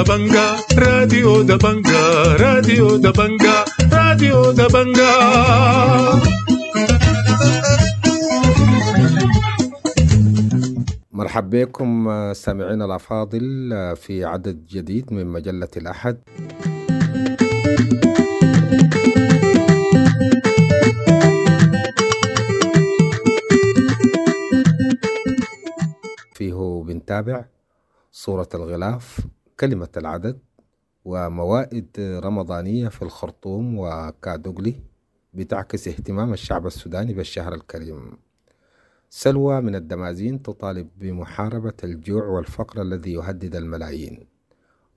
دبنجا، راديو دبنجا، راديو دبنجا، راديو دبنجا. مرحب بكم سامعينا الأفاضل في عدد جديد من مجلة الأحد. فيه بنتابع صورة الغلاف، كلمة العدد، وموائد رمضانية في الخرطوم وكادوغلي بتعكس اهتمام الشعب السوداني بالشهر الكريم. سلوى من الدمازين تطالب بمحاربة الجوع والفقر الذي يهدد الملايين.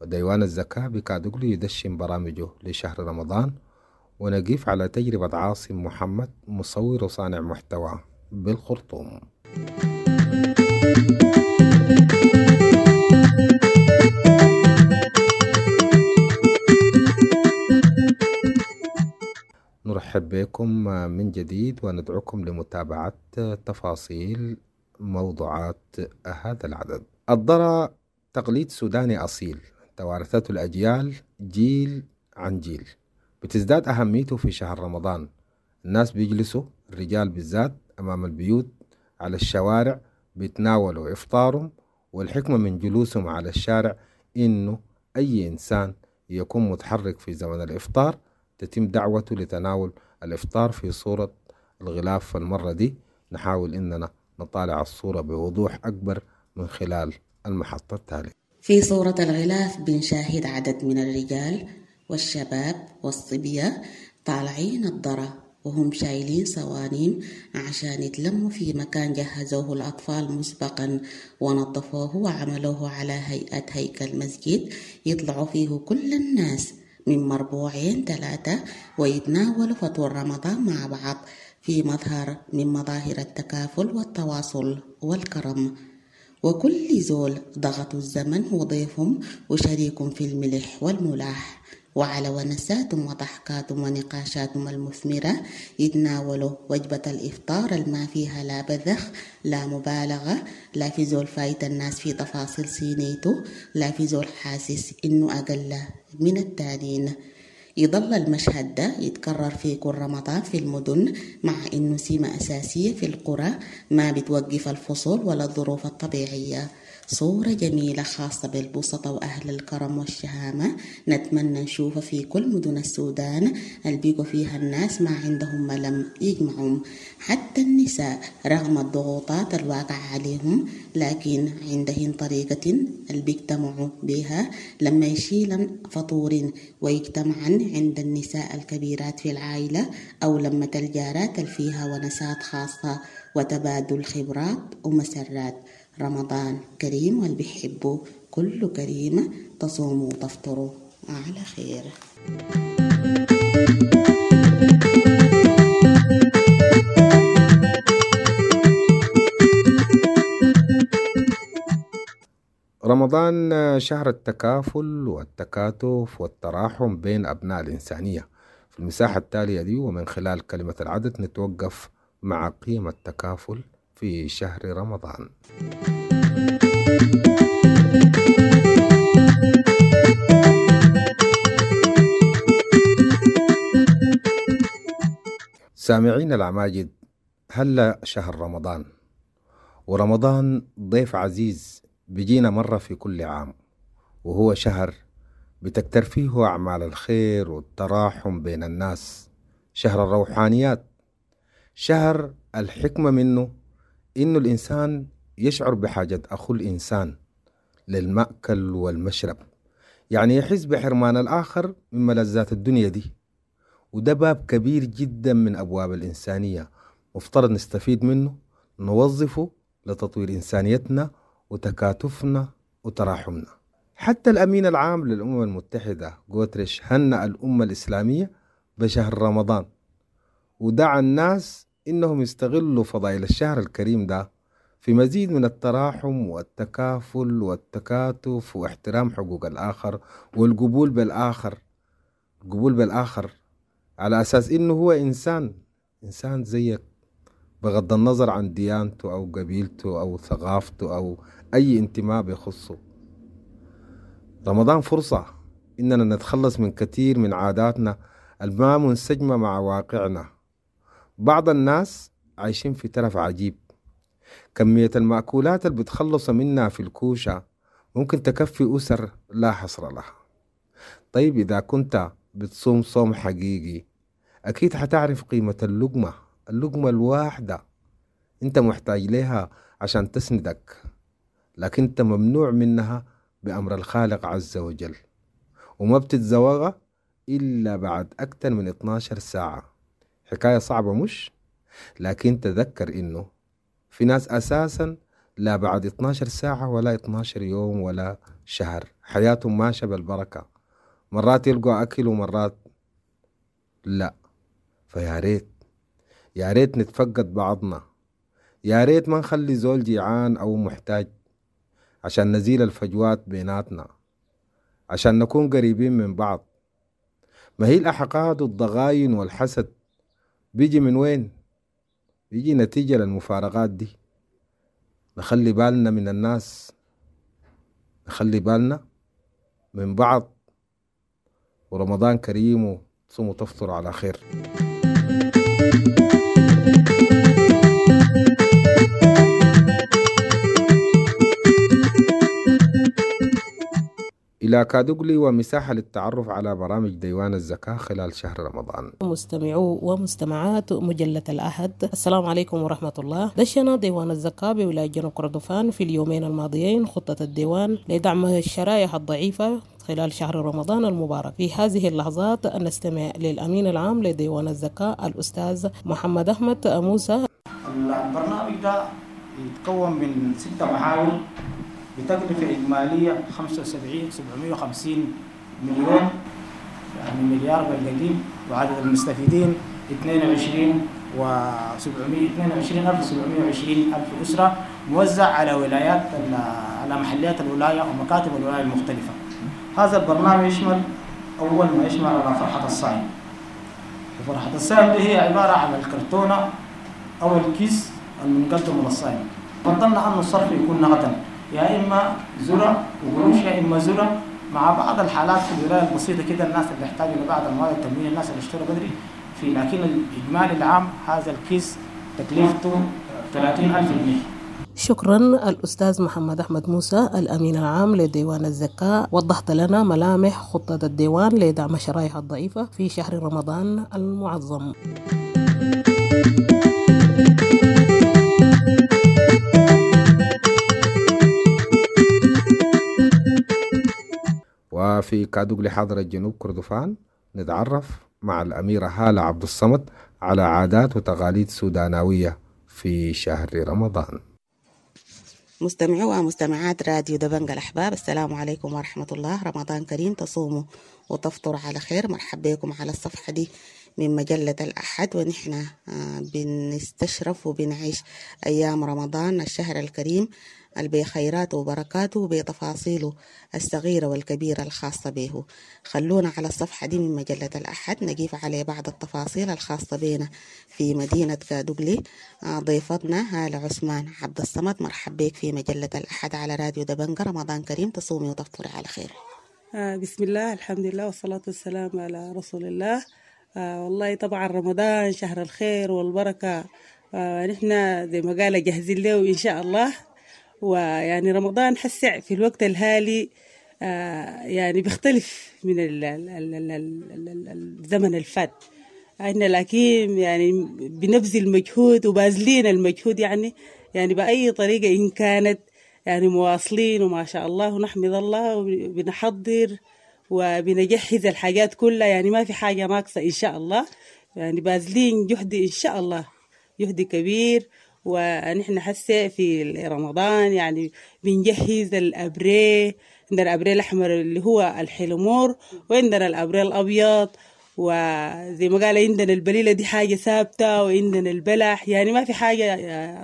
وديوان الزكاة بكادوغلي يدشن برامجه لشهر رمضان. ونقف على تجربة عاصم محمد مصور وصانع محتوى بالخرطوم. نرحب بكم من جديد وندعوكم لمتابعة تفاصيل موضوعات هذا العدد. الضرع تقليد سوداني أصيل توارثته الأجيال جيل عن جيل، بتزداد أهميته في شهر رمضان. الناس بيجلسوا، الرجال بالذات، أمام البيوت على الشوارع بيتناولوا إفطارهم، والحكمة من جلوسهم على الشارع إنه أي إنسان يكون متحرك في زمن الإفطار تتم دعوته لتناول الإفطار في صورة الغلاف. المرة دي نحاول إننا نطالع الصورة بوضوح أكبر من خلال المحطة التالية. في صورة الغلاف بنشاهد عدد من الرجال والشباب والصبية طالعين الضرة وهم شايلين صوانيم عشان يتلموا في مكان جهزوه الأطفال مسبقا ونظفوه وعملوه على هيئة هيكل مسجد يطلعوا فيه كل الناس من مربوعين 3 ويتناولوا فطور رمضان مع بعض في مظهر من مظاهر التكافل والتواصل والكرم. وكل زول ضغطوا الزمن وضيفهم وشريكهم في الملح والملاح، وعلى ونساتهم وضحكاتهم ونقاشاتهم المثمرة يتناولوا وجبة الإفطار الما فيها لا بذخ لا مبالغة، لا في زول فايت الناس في تفاصيل سينيته، لا في زول حاسس إنه أقل من التانين. يظل المشهد ده يتكرر في كل رمضان في المدن، مع إنه سمة أساسية في القرى ما بتوقف الفصول ولا الظروف الطبيعية. صورة جميلة خاصة بالبسطة وأهل الكرم والشهامة نتمنى نشوفها في كل مدن السودان اللي بيقوا فيها الناس ما عندهم ملم يجمعهم، حتى النساء رغم الضغوطات الواقعة عليهم لكن عندهن طريقة اللي بيجتمعوا بها لما يشيلن فطور ويجتمعن عند النساء الكبيرات في العائلة أو لما الجارات اللي فيها ونسات خاصة وتبادل خبرات ومسرات. رمضان كريم واللي بيحبوا كله كريم، تصوموا وتفطروا على خير. رمضان شهر التكافل والتكاتف والتراحم بين أبناء الإنسانية. في المساحة التالية دي ومن خلال كلمة العدد نتوقف مع قيم التكافل في شهر رمضان. سامعين العماجد، هلا شهر رمضان، ورمضان ضيف عزيز بيجينا مرة في كل عام، وهو شهر بتكتر فيه أعمال الخير والتراحم بين الناس، شهر الروحانيات، شهر الحكمة منه إنه الإنسان يشعر بحاجة أخو الإنسان للمأكل والمشرب، يعني يحس بحرمان الآخر من ملذات الدنيا دي، وده باب كبير جدا من أبواب الإنسانية مفترض نستفيد منه، نوظفه لتطوير إنسانيتنا وتكاتفنا وتراحمنا. حتى الأمين العام للأمم المتحدة غوتريش هنأ الأمة الإسلامية بشهر رمضان، ودعا الناس إنهم يستغلوا فضائل الشهر الكريم ده في مزيد من التراحم والتكافل والتكاتف واحترام حقوق الآخر والقبول بالآخر، القبول بالآخر على أساس إنه هو إنسان، إنسان زيك بغض النظر عن ديانته أو قبيلته أو ثقافته أو أي انتماء بيخصه. رمضان فرصة إننا نتخلص من كثير من عاداتنا الما منسجمة مع واقعنا. بعض الناس عايشين في ترف عجيب، كمية المأكولات اللي بتخلصوا منها في الكوشة ممكن تكفي أسر لا حصر لها. طيب إذا كنت بتصوم صوم حقيقي أكيد حتعرف قيمة اللقمة، اللقمة الواحدة أنت محتاج لها عشان تسندك، لكن أنت ممنوع منها بأمر الخالق عز وجل، وما بتتزوغها إلا بعد أكثر من 12 ساعة. حكاية صعبة مش؟ لكن تذكر إنه في ناس أساسا لا بعد 12 ساعة ولا 12 يوم ولا شهر حياتهم ماشية بالبركة، مرات يلقوا أكل ومرات لا. فيا ريت يا ريت نتفقد بعضنا، يا ريت ما نخلي زول جيعان أو محتاج، عشان نزيل الفجوات بيناتنا، عشان نكون قريبين من بعض. ما هي الأحقاد والضغاين والحسد بيجي من وين؟ بيجي نتيجة للمفارقات دي. نخلي بالنا من الناس، نخلي بالنا من بعض. ورمضان كريم، وتصوموا وتفطروا على خير. إلى كادوغلي ومساحة للتعرف على برامج ديوان الزكاة خلال شهر رمضان. مستمعو ومستمعات مجلة الأحد، السلام عليكم ورحمة الله. دشنا ديوان الزكاة بولاية جنوب كردفان في اليومين الماضيين خطة الديوان لدعم الشرائح الضعيفة خلال شهر رمضان المبارك. في هذه اللحظات نستمع للأمين العام لديوان الزكاة الأستاذ محمد أحمد موسى. البرنامج ده يتكون من 6 محاور بتكلفة إجمالية 75,750 مليون، يعني مليار بالقديم، وعدد المستفيدين 22,720 ألف أسرة، موزع على ولايات على محليات الولاية ومكاتب الولاية المختلفة. هذا البرنامج يشمل أول ما يشمل على فرحة الصائم. وفرحة الصائم دي هي عبارة عن الكرتونة أو الكيس المقدم للصائم. فضلنا أن الصرف يكون نقدا، يا إما ذرة وقروش يا إما ذرة، مع بعض الحالات في الولاية البسيطة كده الناس اللي يحتاجوا لبعض المواد التموينية، الناس اللي اشتروا بدري في، لكن الإجمالي العام هذا الكيس تكلفته 30,000 جنيه. شكرا الأستاذ محمد أحمد موسى الأمين العام لديوان الزكاة، وضحت لنا ملامح خطة الديوان لدعم الشرائح الضعيفة في شهر رمضان المعظم. وفي كادوغلي حاضرة جنوب كردفان نتعرف مع الأميرة هالة عبد الصمد على عادات وتقاليد سوداناوية في شهر رمضان. مستمعو ومستمعات راديو دبنجة الأحباب، السلام عليكم ورحمة الله. رمضان كريم، تصوموا وتفطروا على خير. مرحبا بكم على الصفحة دي من مجلة الأحد، ونحن بنستشرف وبنعيش أيام رمضان الشهر الكريم بخيراته وبركاته وبتفاصيله الصغيرة والكبيرة الخاصة به. خلونا على الصفحة دي من مجلة الأحد نقيف على بعض التفاصيل الخاصة بنا في مدينة كادوغلي. ضيفتنا هالة عثمان عبد الصمد، مرحب بك في مجلة الأحد على راديو دبنجة. رمضان كريم، تصومي وتفطري على خير. بسم الله، الحمد لله، والصلاة والسلام على رسول الله. والله طبعا رمضان شهر الخير والبركة، نحن زي ما قال جاهزين له إن شاء الله. ويعني رمضان حسع في الوقت الحالي يعني بيختلف من الزمن الفات عندنا، لكن يعني بنبذل مجهود وبازلين المجهود يعني بأي طريقة إن كانت، يعني مواصلين وما شاء الله ونحمد الله، وبنحضر وبنجهز الحاجات كلها، يعني ما في حاجة ناقصة إن شاء الله، يعني بازلين جهد إن شاء الله، جهد كبير. ونحن حسي في رمضان يعني بنجهز الأبري، عندنا الأبري الأحمر اللي هو الحلمور، وعندنا الأبري الأبيض، وزي ما قال عندنا البليلة دي حاجة ثابتة، وعندنا البلح، يعني ما في حاجة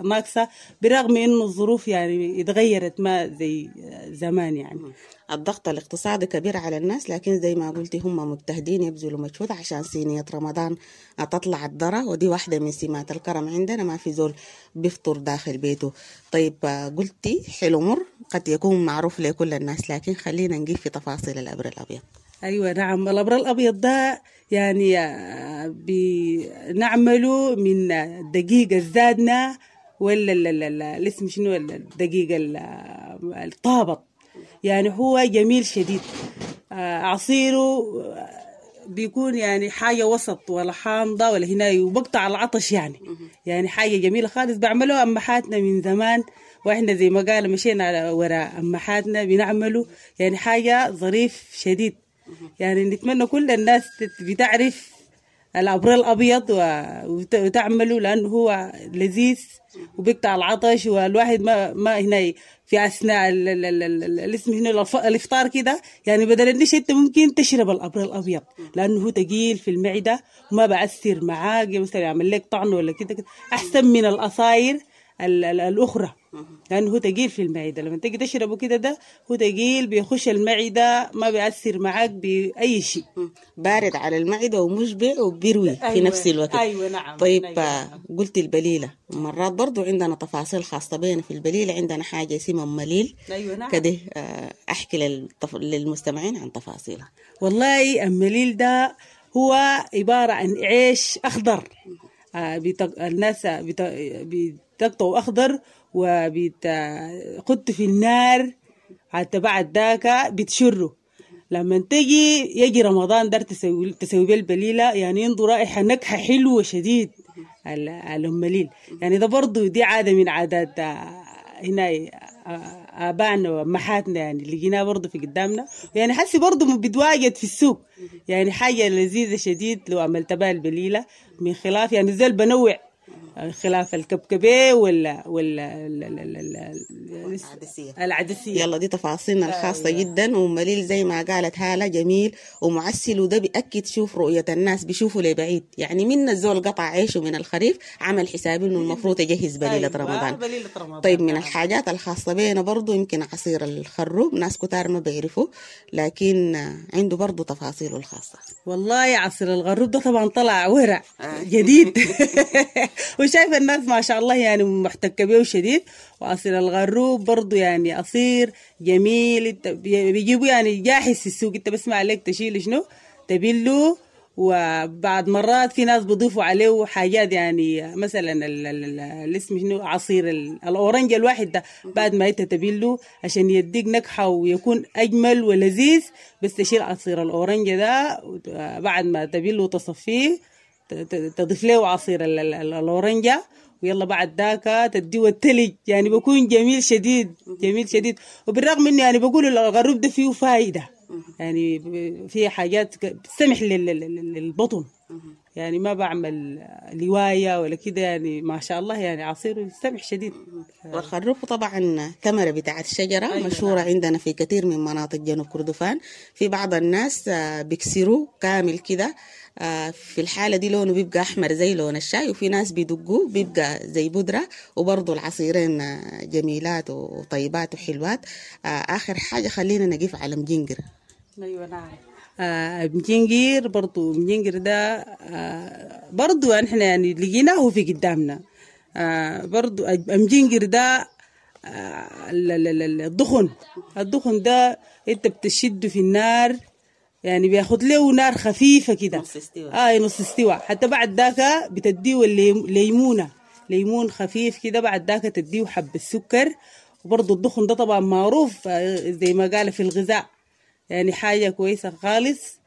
ناقصة، برغم إنه الظروف يعني اتغيرت ما زي زمان يعني. الضغط الاقتصادي كبير على الناس، لكن زي ما قلتي هم مجتهدين يبذلوا مجهود عشان صينية رمضان تطلع الذرة، ودي واحدة من سمات الكرم عندنا، ما في زول بيفطر داخل بيته. طيب قلتي حلو مر قد يكون معروف لكل الناس، لكن خلينا نجيب في تفاصيل الأبر الأبيض. أيوة نعم، الأبر الأبيض ده يعني بنعمله من الدقيق الزادنا ولا الاسم شنو، الدقيق الطابط، يعني هو جميل شديد. عصيره بيكون يعني حاجة وسط، ولا حامضة ولا هنا، وبقطع العطش يعني حاجة جميلة خالص. بعمله أمهاتنا من زمان، وإحنا زي ما قال مشينا على وراء أمهاتنا بنعمله، يعني حاجة ظريف شديد. يعني نتمنى كل الناس بتعرف الأبر الأبيض وتعمله، لأنه هو لذيذ وبيقطع العطش، والواحد ما هنا في أثناء الاسم هنا الإفطار كده، يعني بدل النشا أنت ممكن تشرب الأبر الأبيض، لأنه هو ثقيل في المعدة وما بأثر معاك، مثلا يعمل لك طعن ولا كده، أحسن من القصاير الأخرى، لأنه هو ثقيل في المعدة. لما تيجي تشربه كده ده هو ثقيل بيخش المعدة، ما بيأثر معاك بأي شيء، بارد على المعدة ومشبع وبيروي. أيوة في نفس الوقت. أيوة نعم. طيب. أيوة نعم. قلت البليلة، مرات برضو عندنا تفاصيل خاصة بينا في البليلة، عندنا حاجة اسمها مليل. أيوة نعم. كده أحكي للمستمعين عن تفاصيلها. والله المليل ده هو عبارة عن عيش أخضر، الناس بتقطعه أخضر وبتحط في النار، حتى بعد ذاك بتشره. لما تجي يجي رمضان دار تسوي بيه البليلة، يعني عنده رائحة نكهة حلوة شديد المليل. يعني ده برضو دي عادة من عادات هنا آبائنا وأمهاتنا، يعني لقيناها برضو في قدامنا، يعني حسي برضو بتواجد في السوق، يعني حاجة لذيذة شديد لو عملت بها البليلة. من خلاف يعني زي بنوع خلاف الكبكبة ولا العدسية. العدسية. يلا دي تفاصيلنا الخاصة. أيوة. جدا. ومليل زي ما قالت هالة جميل ومعسل، وده بيأكد شوف رؤية الناس، بيشوفوا لبعيد، يعني من الزول قطع عيشه من الخريف عمل حسابه انه المفروض يجهز بليلة. أيوة. رمضان. بليلة رمضان. طيب من الحاجات الخاصة بينا برضو يمكن عصير الخروب، ناس كتار ما بيعرفوا، لكن عنده برضو تفاصيله الخاصة. والله عصير الغروب ده طبعا طلع ورع جديد وشايف الناس ما شاء الله يعني محتكة بيه شديد. وعصير الغروب برضو يعني عصير جميل، بيجيبوا يعني جاهز في السوق، انت بس ما عليك تشيل شنو تبله. وبعد مرات في ناس بيضيفوا عليه حاجات، يعني مثلا الاسم شنو عصير الاورنج الواحد ده بعد ما انت تبله عشان يديك نكهة ويكون اجمل ولذيذ، بس تشيل عصير الاورنج ده بعد ما تبله وتصفيه تضيف له عصير الاورنجة، ويلا بعد ذاك تديه التلج، يعني بيكون جميل شديد جميل شديد. وبالرغم انه يعني بقولوا الغروب ده فيه فايدة، يعني فيه حاجات بتسمح للبطن، يعني ما بعمل لواية ولا كده، يعني ما شاء الله يعني عصير سمح شديد. والخروب طبعا ثمرة بتاعت الشجرة. أيوة مشهورة نعم. عندنا في كثير من مناطق جنوب كردفان. في بعض الناس بيكسروه كامل كده، في الحالة دي لونه بيبقى أحمر زي لون الشاي، وفي ناس بيدقوه بيبقى زي بودرة، وبرضو العصيرين جميلات وطيبات وحلوات. آخر حاجة خلينا نقف على مجنجر. أيوة نعم. مجنجر برضو، مجنجر ده برضو احنا يعني لقيناه في قدامنا. برضو مجنجر ده الدخن، الدخن ده انت بتشده في النار، يعني بياخد له نار خفيفة كده، نص استوى. نص استوى، حتى بعد ذاك بتديه ليمونة، ليمون خفيف كده، بعد ذاك تديه حب السكر. وبرضو الدخن ده طبعا معروف زي ما قال في الغذاء، يعني حاجة كويسة خالص،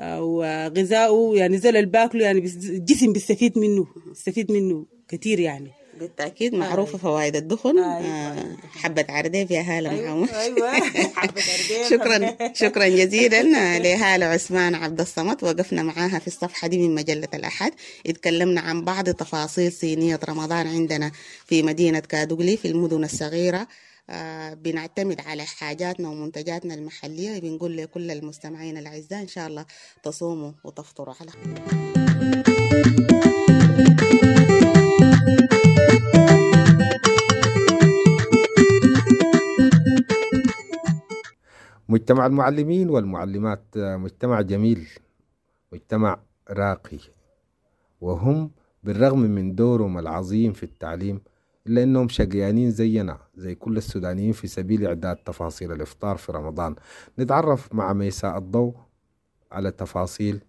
وغذاؤه يعني زي اللي باكله، يعني الجسم بيستفيد منه، بيستفيد منه كثير يعني. بالتأكيد معروفة فوائد الدخن. أيوة. حبة عرديب يا هالة محمد. أيوة. حبة عرديب. شكرا شكرا جزيلا لهالة عثمان عبد الصمد، وقفنا معاها في الصفحة دي من مجلة الأحد، اتكلمنا عن بعض تفاصيل صينية رمضان عندنا في مدينة كادوغلي في المدن الصغيرة. بنعتمد على حاجاتنا ومنتجاتنا المحلية. بنقول لكل المستمعين الأعزاء إن شاء الله تصوموا وتفطروا على خير. مجتمع المعلمين والمعلمات مجتمع جميل، مجتمع راقي، وهم بالرغم من دورهم العظيم في التعليم إلا أنهم شقيانين زينا زي كل السودانيين في سبيل إعداد تفاصيل الإفطار في رمضان. نتعرف مع ميساء الضوء على تفاصيل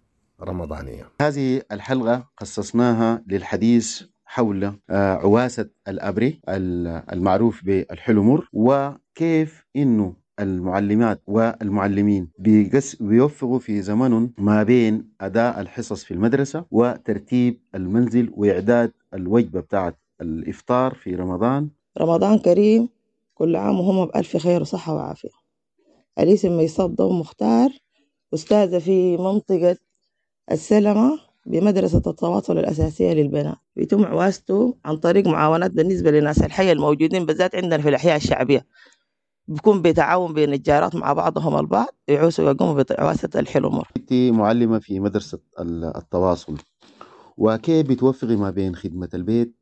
رمضانية. هذه الحلقة خصصناها للحديث حول عواسة الأبري المعروف بالحلمر، وكيف إنه المعلمات والمعلمين بيوفقوا في زمنهم ما بين أداء الحصص في المدرسة وترتيب المنزل وإعداد الوجبة بتاعت الإفطار في رمضان. رمضان كريم، كل عام وهم بألف خير وصحة وعافية. الاسم ميساء الضوء مختار، أستاذة في منطقة السلمة بمدرسة التواصل الأساسية للبنات. بيتم عواسته عن طريق معاونات بالنسبة لناس الحي الموجودين بالذات عندنا في الأحياء الشعبية، بيكون بتعاون بين الجارات مع بعضهم البعض يعوسوا ويقوموا بعواسة الحلمر. أنت معلمة في مدرسة التواصل، وكيف بتوفقي ما بين خدمة البيت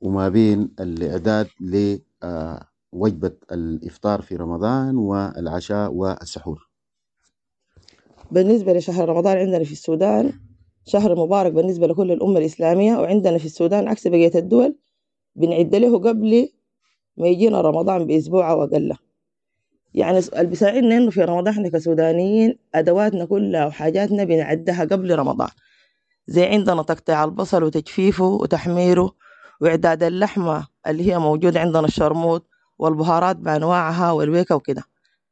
وما بين الإعداد لوجبة الإفطار في رمضان والعشاء والسحور؟ بالنسبة لشهر رمضان عندنا في السودان شهر مبارك بالنسبة لكل الأمة الإسلامية، وعندنا في السودان عكس بقية الدول بنعد له قبل ما يجينا رمضان بأسبوع أو أقل. يعني اللي بيساعدنا إنه في رمضان إحنا كسودانيين أدواتنا كلها وحاجاتنا بنعدها قبل رمضان، زي عندنا تقطيع البصل وتجفيفه وتحميره وإعداد اللحمة اللي هي موجودة عندنا الشرموط والبهارات بأنواعها والويكة وكده.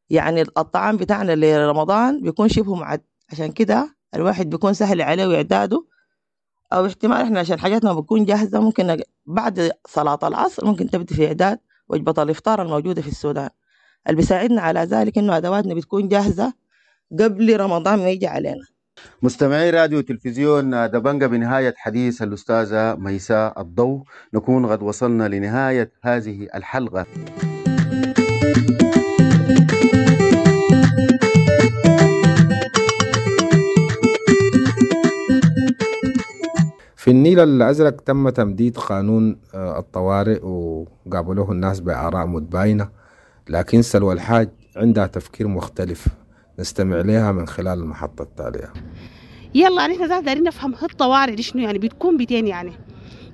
يعني الطعام بتاعنا لرمضان بيكون شبه معد، عشان كده الواحد بيكون سهل عليه إعداده، أو احتمال إحنا عشان حاجاتنا بتكون جاهزة ممكن بعد صلاة العصر ممكن تبدي في إعداد وجبة الإفطار الموجودة في السودان. اللي بيساعدنا على ذلك إنه أدواتنا بتكون جاهزة قبل رمضان ما يجي علينا. مستمعي راديو تلفزيون دبنجة، بنهاية حديث الأستاذة ميساء الضوء نكون قد وصلنا لنهاية هذه الحلقة. في النيل الأزرق تم تمديد قانون الطوارئ وقابلوه الناس بآراء متباينة، لكن سلوى الحاج عندها تفكير مختلف نستمع لها من خلال المحطة التالية. يلا نحن ذات دارين نفهم الطوارئ دي شنو، يعني بتكون بتين يعني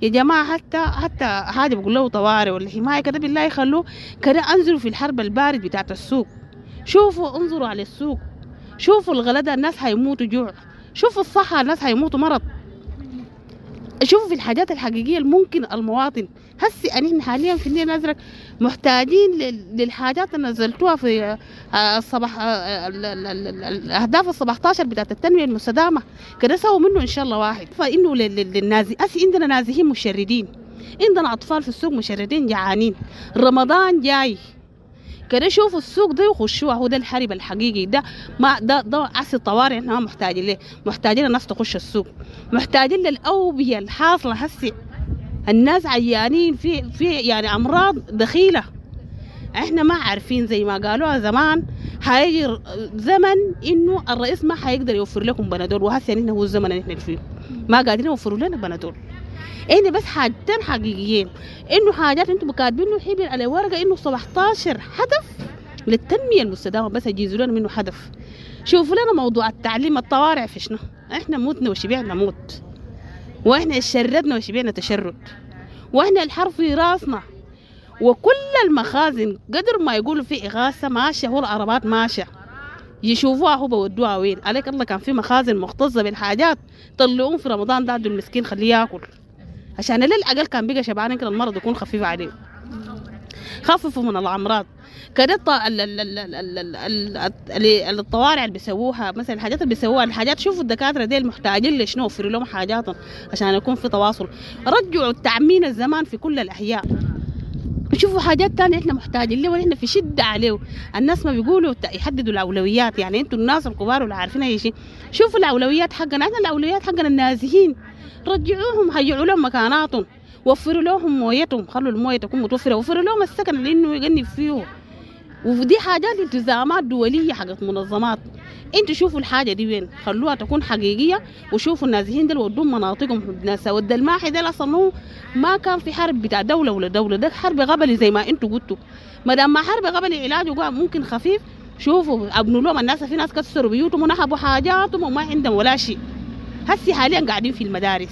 يا جماعة، حتى حاجة بقول له طوارئ ولا حماية كده بالله يخلوه كده. انزلوا في الحرب البارد بتاعت السوق، شوفوا انظروا على السوق، شوفوا الغلدة الناس هيموتوا جوع، شوفوا الصحة الناس هيموتوا مرض، شوفوا في الحاجات الحقيقية الممكن المواطن هسي. نحن حاليا في النيل الأزرق محتاجين للحاجات اللي نزلتوها في الصباح، الأهداف 17 بتاعت التنمية المستدامة كده سووا منه إن شاء الله واحد. فإنه للنازي أسي عندنا نازحين مشردين، عندنا أطفال في السوق مشردين جعانين، رمضان جاي كده شوفوا السوق ده وخشوه. هو ده الحرب الحقيقي، ده ما ده عصر الطوارئ احنا ما محتاجين ليه، محتاجين الناس تخش السوق، محتاجين للأوبية الحاصلة هسي، الناس عيانين في يعني أمراض دخيلة احنا ما عارفين. زي ما قالوها زمان هيجي زمن انه الرئيس ما حيقدر يوفر لكم بنادول، وهسه يعني هو الزمن اللي احنا فيه ما قادرين يوفروا لنا بنادول. احنا بس حاجتين حقيقيين، انه حاجات انتم كاتبينه حبر على ورقه انه 17 هدف للتنميه المستدامه، بس يجيزوا لنا منه هدف. شوفوا لنا موضوع التعليم الطوارئ في شنو، احنا موتنا وشبعنا موت، واحنا شردنا وشبعنا تشرد، واحنا الحرب في راسنا، وكل المخازن قدر ما يقولوا في إغاثة ماشية، هو العربات ماشية يشوفوها هو بودوها وين. عليك الله كان في مخازن مختصة بالحاجات طلعوهم في رمضان ده عبد المسكين خليه ياكل، عشان للأقل كان بقى شبعان يمكن المرض يكون خفيف عليه، خففوا من الأمراض كده. الطوارئ اللي بيسووها مثلا، الحاجات اللي بيسووها الحاجات، شوفوا الدكاترة ديل محتاجين لشنو، وفروا لهم حاجاتهم عشان يكون في تواصل. رجعوا التعمين الزمان في كل الأحياء. شوفوا حاجات تانية احنا محتاجين له ونحن في شدة عليه. الناس ما بيقولوا يحددوا الأولويات، يعني انتوا الناس الكبار واللي عارفين اي شيء، شوفوا الأولويات حقنا احنا، الأولويات حقنا النازحين رجعوهم، هيعوا لهم مكاناتهم، وفروا لهم مويتهم، خلوا المويه تكون متوفرة، وفروا لهم السكن اللي انه يغني فيه. ودي حاجات التزامات دولية حقت منظمات. انتوا شوفوا الحاجة دي وين، خلوها تكون حقيقية، وشوفوا النازحين دول ودوهم مناطقهم. ناس ود الماحي دول اصلا ما كان في حرب بتاع دولة ولا دولة، ده حرب قبلي زي ما انتوا قلتوا. ما دام ما حرب قبلي علاجه ممكن خفيف. شوفوا ابنوا لهم الناس، في ناس كسروا بيوتهم ونهبوا حاجاتهم وما عندهم ولا شيء. هسي حاليا قاعدين في المدارس.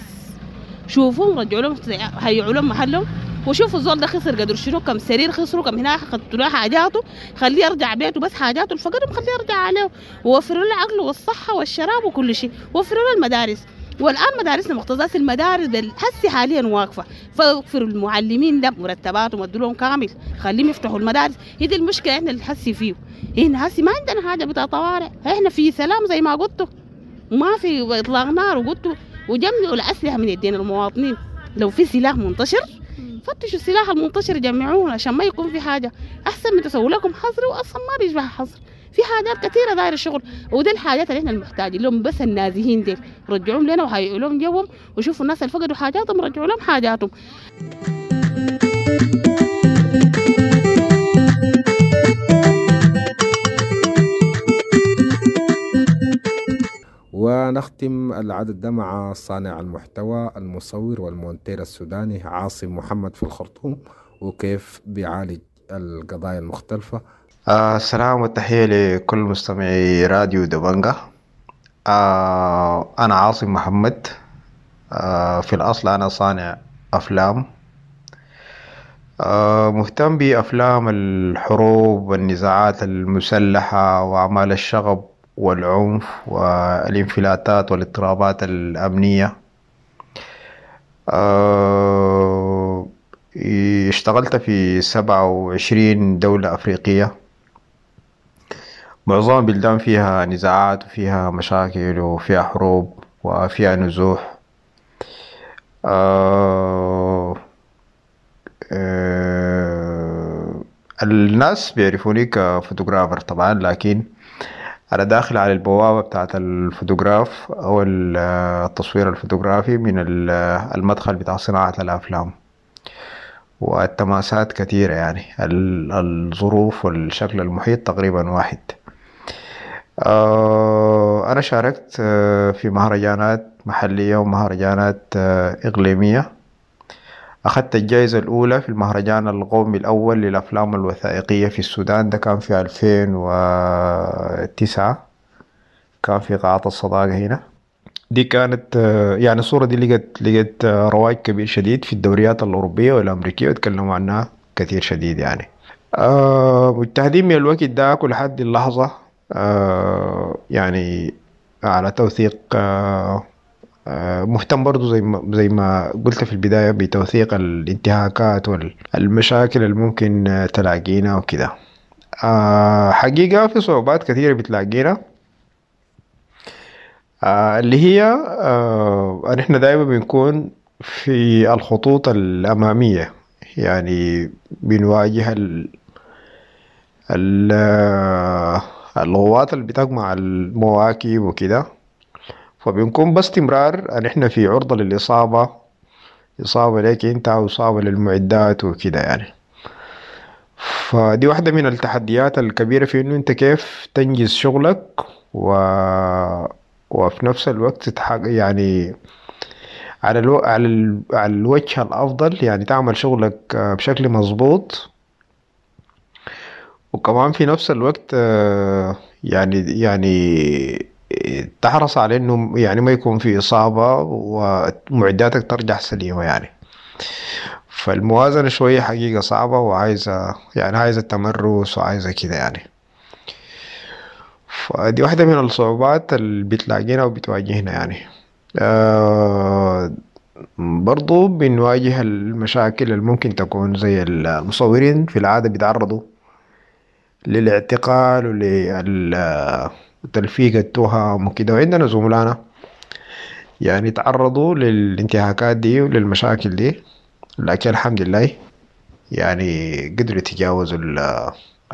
شوفوهم رجعوا لهم، هيعوا لهم محلهم، وشوفوا الزول ده خسر قدر شنو، كم سرير خسروا، كم هنا خدتوا له حاجاته، خليه يرجع بيته بس حاجاته الفقر خليه يرجع عليه، ووفروا له العقل والصحة والشراب وكل شيء، وفروا له المدارس. والان مدارسنا مكتظات، المدارس هسي حاليا واقفة، فوفروا المعلمين ده مرتباتهم ودوا لهم كامل، خليهم يفتحوا المدارس. هي دي المشكلة احنا اللي حسي فيه. هنا هسي ما عندنا حاجة بتاع طوارئ، احنا في سلام زي ما قلتوا، وما في اطلاق نار، وقلتوا وجمعوا الاسلحة من يدين المواطنين. لو في سلاح منتشر فتشوا السلاح المنتشر جمعوه عشان ما يكون في حاجة. احسن من تسووا لكم حظر، واصلا ما بيشبه حظر، في حاجات كثيرة دايرة الشغل. وده الحاجات اللي احنا المحتاجين لهم، بس النازحين ديل رجعوهم لنا وهيئوا لهم جوهم، وشوفوا الناس اللي فقدوا حاجاتهم رجعوا لهم حاجاتهم. ونختم العدد ده مع صانع المحتوى المصور والمونتير السوداني عاصم محمد في الخرطوم، وكيف بيعالج القضايا المختلفة. السلام والتحية لكل مستمعي راديو دبنجة. أنا عاصم محمد. في الأصل أنا صانع أفلام، مهتم بأفلام الحروب والنزاعات المسلحة وأعمال الشغب والعنف والانفلاتات والاضطرابات الأمنية. اشتغلت في 27 دولة أفريقية، معظم البلدان فيها نزاعات وفيها مشاكل وفيها حروب وفيها نزوح. الناس بيعرفوني ك photographer طبعا، لكن أنا داخل على البوابة بتاعت الفوتوغراف أو التصوير الفوتوغرافي من المدخل بتاع صناعة الأفلام، والتماسات كثيرة يعني، الظروف والشكل المحيط تقريبا واحد. أنا شاركت في مهرجانات محلية ومهرجانات إقليمية. أخذت الجائزة الأولى في المهرجان القومي الأول للأفلام الوثائقية في السودان، ده كان في 2009، كان في قاعة الصداقة هنا. دي كانت يعني الصورة دي لقت رواج كبير شديد في الدوريات الأوروبية والأمريكية، وتكلموا عنها كثير شديد يعني. مجتهدين من الوقت ده لحد اللحظة، يعني على توثيق، مهتم برضو زي ما قلت في البداية بتوثيق الانتهاكات والمشاكل اللي ممكن تلاقينا وكده. حقيقة في صعوبات كثيرة بتلاقينا، اللي هي نحن دائما بنكون في الخطوط الأمامية، يعني بنواجه الغوات اللي بتجمع المواكب وكده، فبنكون باستمرار نحن في عرضة للإصابة، إصابة لك أنت أو إصابة للمعدات وكده يعني. فدي واحدة من التحديات الكبيرة في إنه أنت كيف تنجز شغلك وفي نفس الوقت تتحقق يعني على على الوجه الأفضل، يعني تعمل شغلك بشكل مظبوط، وكمان في نفس الوقت يعني تحرص على إنه يعني ما يكون في إصابة ومعداتك ترجع سليمة يعني. فالموازنة شوية حقيقة صعبة، وعايزة يعني عايزة تمرس وعايزة كده يعني. فدي واحدة من الصعوبات اللي بتلاقينا وبتواجهنا يعني. برضو بنواجه المشاكل اللي ممكن تكون زي المصورين في العادة بيتعرضوا للاعتقال ولتلفيق التهم وكده، وعندنا زملائنا يعني تعرضوا للانتهاكات دي وللمشاكل دي، لكن الحمد لله يعني قدروا يتجاوزوا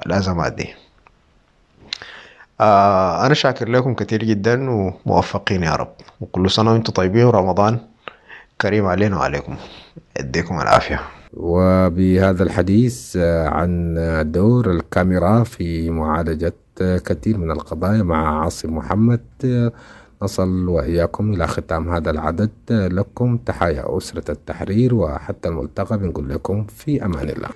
الأزمات دي. أنا شاكر لكم كثير جدا وموفقين يا رب، وكل سنة وأنتم طيبين، ورمضان كريم علينا وعليكم، يديكم العافية. وبهذا الحديث عن دور الكاميرا في معالجة كثير من القضايا مع عاصم محمد، نصل وإياكم إلى ختام هذا العدد. لكم تحايا أسرة التحرير، وحتى الملتقى بنقول لكم في أمان الله.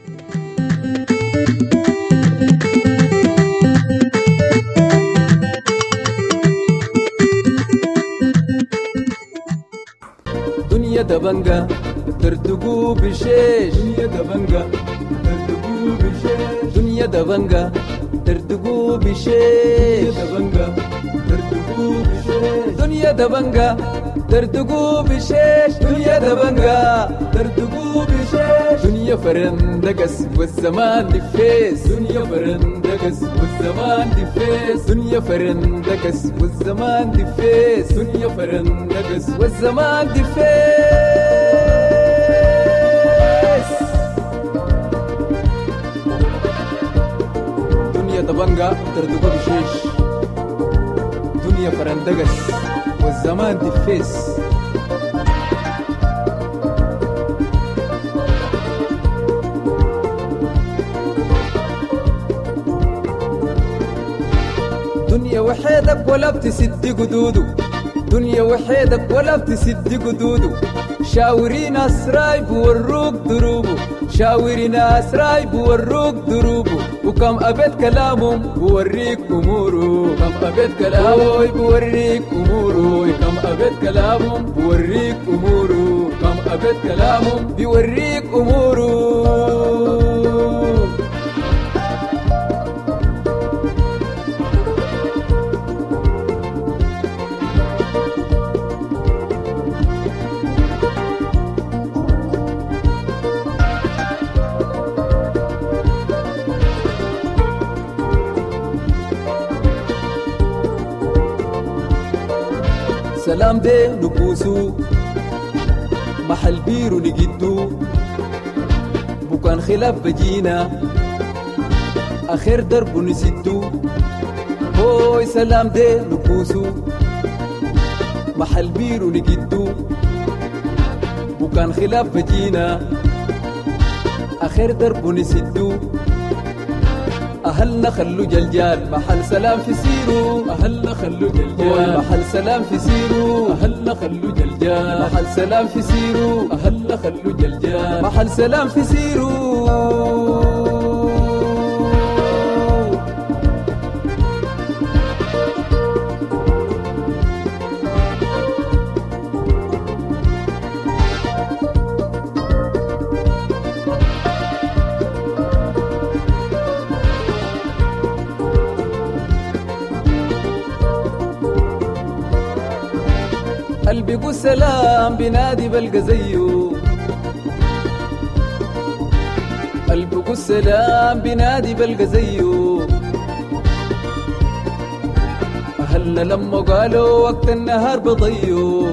دنيا دبنجة ترتقو بشيش، دنيا دبنجة ترتقو بشيش، دنيا دبنجة ترتقو بشيش، دبنجة ترتقو بشيش، دنيا دبنجة ترتقو بشيش، دنيا دبنجة ترتقو بشيش، دنيا فرندقس والزمان دفيس، دنيا فرندقس والزمان دفيس، دنيا فرندقس والزمان دفيس، دنيا فرندقس والزمان دفيس. دنيا دبنجة ترتقو بشيش، دنيا فرندقس والزمان دفيس. دنيا وحيدك ولا بتسد قدوده، دنيا وحيدك ولا بتسد قدوده، شاوري ناس رايب وروك دروبه، شاوري ناس رايب وروك دروبه، وكم أبيت كلامهم بوريك أموره، كم أبيت كلامه بوريك أموره، كم أبيت كلامهم بوريك أموره، كم أبيت كلامهم بيوريك أموره. سلام دي نبوسو محل بيرو نجدو، بكان خلاف بجينا آخر درب نسدو، هوي سلام دي نبوسو محل بيرو نجدو، بكان خلاف بجينا آخر درب نسدو، أهلنا خلو جلجال محل سلام في سيرو، أهلنا خلو جلجال محل سلام في سيرو، أهلنا خلو جلجال محل سلام في سيرو، أهلنا خلو جلجال محل سلام في سيرو. قلبي سلام بنادي بلقى زيه، قلبي سلام بنادي بلقى زيه، أهلنا لما قالوا وقت النهار بضيو،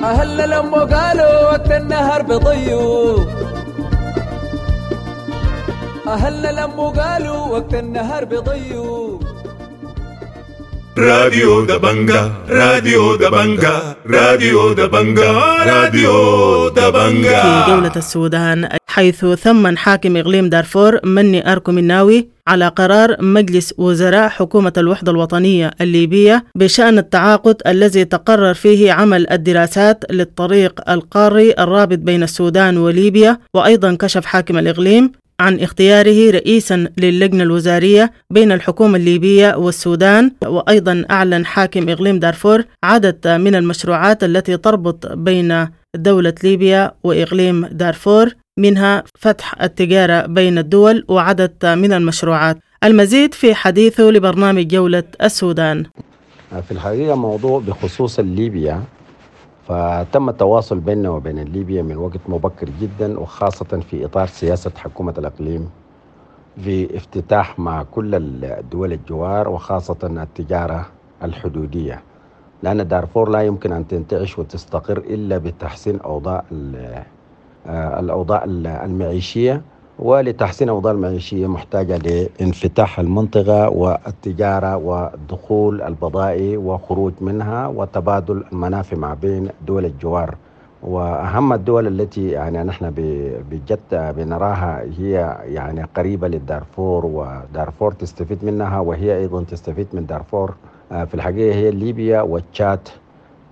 أهلنا لما قالوا وقت النهار بضيو، أهلنا لما قالوا وقت النهار بضيو. راديو دبنجة، راديو دبنجة، راديو دبنجة، راديو دبنجة. في جولة السودان، حيث ثمن حاكم إقليم دارفور مني أركو مناوي على قرار مجلس وزراء حكومة الوحدة الوطنية الليبية بشأن التعاقد الذي تقرر فيه عمل الدراسات للطريق القاري الرابط بين السودان وليبيا. وأيضا كشف حاكم الإقليم عن اختياره رئيسا للجنة الوزارية بين الحكومة الليبية والسودان. وأيضا أعلن حاكم إقليم دارفور عدد من المشروعات التي تربط بين دولة ليبيا وإقليم دارفور، منها فتح التجارة بين الدول وعدد من المشروعات. المزيد في حديثه لبرنامج جولة السودان. في الحقيقة موضوع بخصوص ليبيا، فتم التواصل بيننا وبين ليبيا من وقت مبكر جدا، وخاصة في إطار سياسة حكومة الإقليم في افتتاح مع كل الدول الجوار، وخاصة التجارة الحدودية، لأن دارفور لا يمكن أن تنتعش وتستقر إلا بتحسين أوضاع الأوضاع المعيشية. ولتحسين أوضاع المعيشية محتاجة لانفتاح المنطقة والتجارة ودخول البضائع وخروج منها وتبادل المنافع ما بين دول الجوار. وأهم الدول التي يعني نحن بجد بنراها هي يعني قريبة للدارفور، ودارفور تستفيد منها وهي أيضا تستفيد من دارفور، في الحقيقة هي ليبيا والتشاد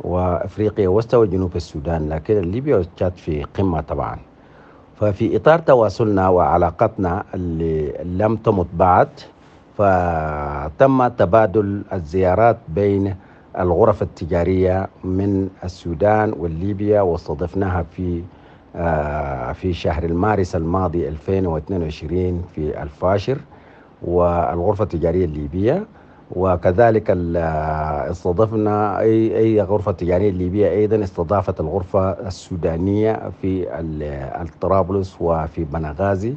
وأفريقيا وسط وجنوب السودان، لكن ليبيا والتشاد في قمة طبعا. ففي إطار تواصلنا وعلاقتنا اللي لم تمت بعد، فتم تبادل الزيارات بين الغرف التجارية من السودان والليبيا، واستضفناها في شهر المارس الماضي 2022 في الفاشر، والغرفة التجارية الليبية، وكذلك استضفنا أي غرفة تجارية الليبية أيضا استضافت الغرفة السودانية في الطرابلس وفي بنغازي،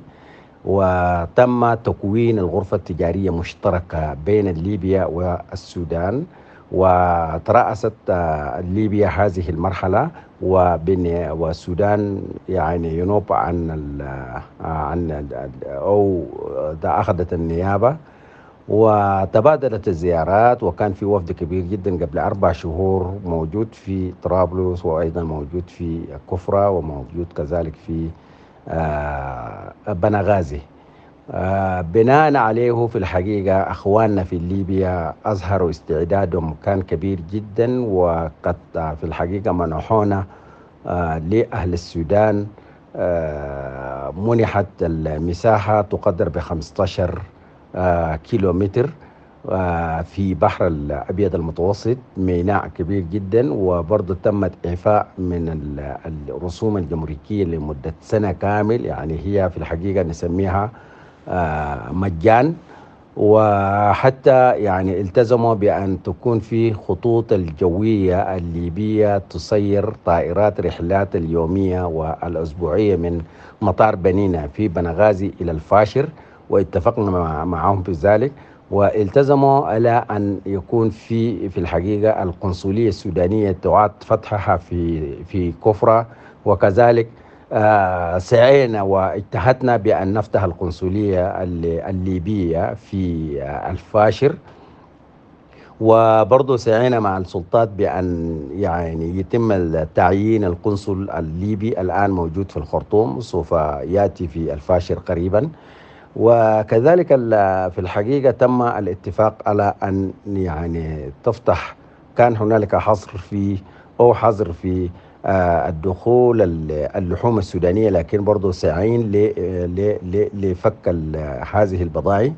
وتم تكوين الغرفة التجارية مشتركة بين ليبيا والسودان، وترأست ليبيا هذه المرحلة، والسودان يعني ينوب عن أو أخذت النيابة، وتبادلت الزيارات، وكان في وفد كبير جدا قبل 4 شهور موجود في طرابلس، وأيضا موجود في كفرة، وموجود كذلك في بنغازي. بناء عليه في الحقيقة أخواننا في ليبيا أظهروا استعدادهم كان كبير جدا، وقد في الحقيقة منحونا لأهل السودان، منحت المساحة تقدر ب15 كيلومتر في بحر الأبيض المتوسط، ميناء كبير جدا، وبرضه تمت إعفاء من الرسوم الجمركية لمدة سنة كامل، يعني هي في الحقيقة نسميها مجان. وحتى يعني التزموا بأن تكون في خطوط الجوية الليبية تسير طائرات رحلات اليومية والأسبوعية من مطار بنينة في بنغازي إلى الفاشر، واتفقنا معهم في ذلك، والتزموا على أن يكون في الحقيقة القنصلية السودانية تعاد فتحها في كفرة، وكذلك سعينا واجتهدنا بأن نفتح القنصلية الليبية في الفاشر، وبرضه سعينا مع السلطات بأن يعني يتم تعيين القنصل الليبي الآن موجود في الخرطوم، سوف يأتي في الفاشر قريبا. وكذلك في الحقيقة تم الاتفاق على أن يعني تفتح، كان هنالك حصر في أو حظر في الدخول اللحوم السودانية، لكن برضو سعين لفك هذه البضائع.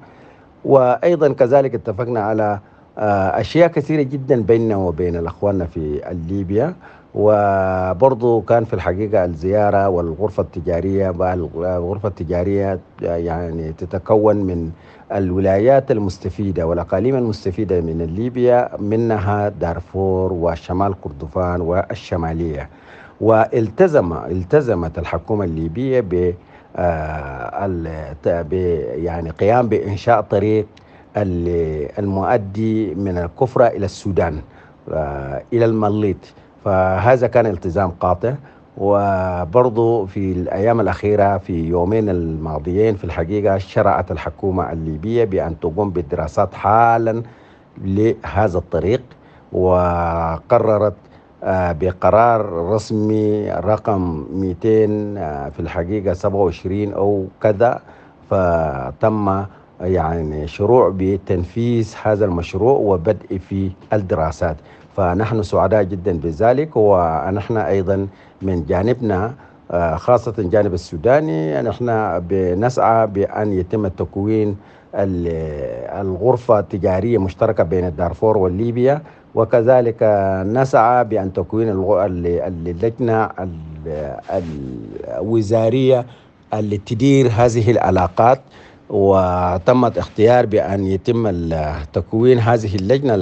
وأيضا كذلك اتفقنا على أشياء كثيرة جدا بيننا وبين الأخوان في ليبيا. وبرضو كان في الحقيقة الزيارة والغرفة التجارية، الغرفة التجارية يعني تتكون من الولايات المستفيدة والأقاليم المستفيدة من ليبيا، منها دارفور وشمال كردفان والشمالية. والتزمت الحكومة الليبية ب يعني قيام بإنشاء طريق المؤدي من الكفرة إلى السودان إلى المليط، فهذا كان التزام قاطع. وبرضو في الأيام الأخيرة في يومين الماضيين في الحقيقة شرعت الحكومة الليبية بأن تقوم بالدراسات حالا لهذا الطريق، وقررت بقرار رسمي رقم 200 في الحقيقة 27 أو كذا، فتم يعني شروع بتنفيذ هذا المشروع وبدء في الدراسات. فنحن سعداء جدا بذلك، ونحن أيضا من جانبنا خاصة الجانب السوداني نحن بنسعى بأن يتم تكوين الغرفة التجارية مشتركة بين الدارفور والليبيا، وكذلك نسعى بأن تكوين اللجنة الوزارية اللي تدير هذه العلاقات، وتمت اختيار بأن يتم تكوين هذه اللجنة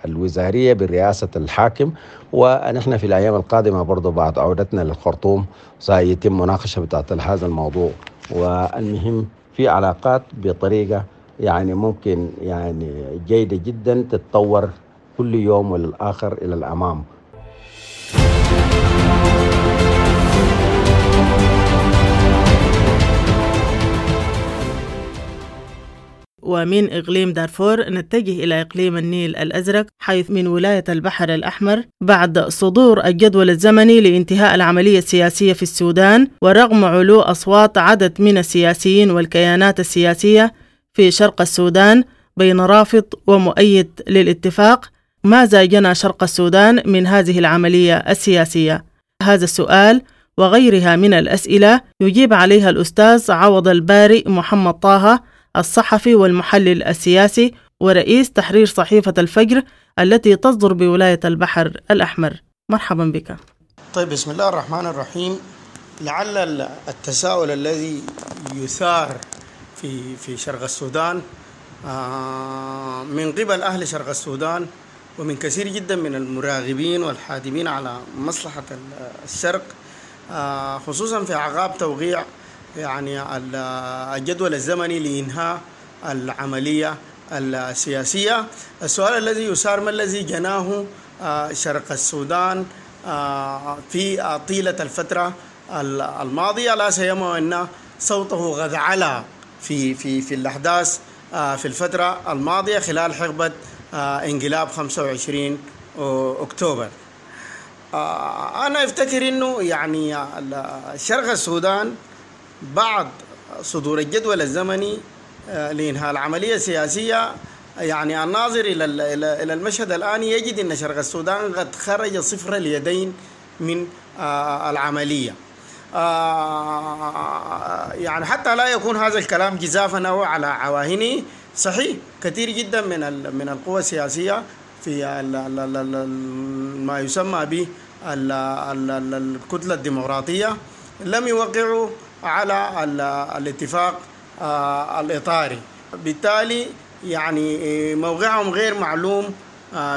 الوزارية برئاسة الحاكم. ونحن في الأيام القادمة برضو بعد عودتنا للخرطوم سيتم مناقشة بتاعت هذا الموضوع. والمهم في علاقات بطريقة يعني ممكن يعني جيدة جدا تتطور كل يوم والآخر إلى الأمام. ومن إقليم دارفور نتجه إلى إقليم النيل الأزرق، حيث من ولاية البحر الأحمر بعد صدور الجدول الزمني لانتهاء العملية السياسية في السودان، ورغم علو أصوات عدد من السياسيين والكيانات السياسية في شرق السودان بين رافض ومؤيد للاتفاق، ماذا جنى شرق السودان من هذه العملية السياسية؟ هذا السؤال وغيرها من الأسئلة يجيب عليها الأستاذ عوض الباري محمد طه، الصحفي والمحلل السياسي ورئيس تحرير صحيفة الفجر التي تصدر بولاية البحر الأحمر. مرحبا بك. طيب، بسم الله الرحمن الرحيم. لعل التساؤل الذي يثار في شرق السودان من قبل أهل شرق السودان ومن كثير جدا من المراغبين والحادمين على مصلحة الشرق، خصوصا في أعقاب توقيع يعني الجدول الزمني لإنهاء العملية السياسية، السؤال الذي يثار: ما الذي جناه شرق السودان في طيلة الفترة الماضية، لا سيما أن صوته قد علا في في في الأحداث في الفترة الماضية خلال حقبة انقلاب 25 أكتوبر. أنا أفتكر أنه يعني شرق السودان بعد صدور الجدول الزمني لإنهاء العملية السياسية، يعني الناظر إلى المشهد الآن يجد أن شرق السودان قد خرج صفر اليدين من العملية. يعني حتى لا يكون هذا الكلام جزافا أو على عواهنه، صحيح كثير جدا من القوى السياسية في ما يسمى به الكتلة الديمقراطية لم يوقعوا على الاتفاق الإطاري، بالتالي يعني موقعهم غير معلوم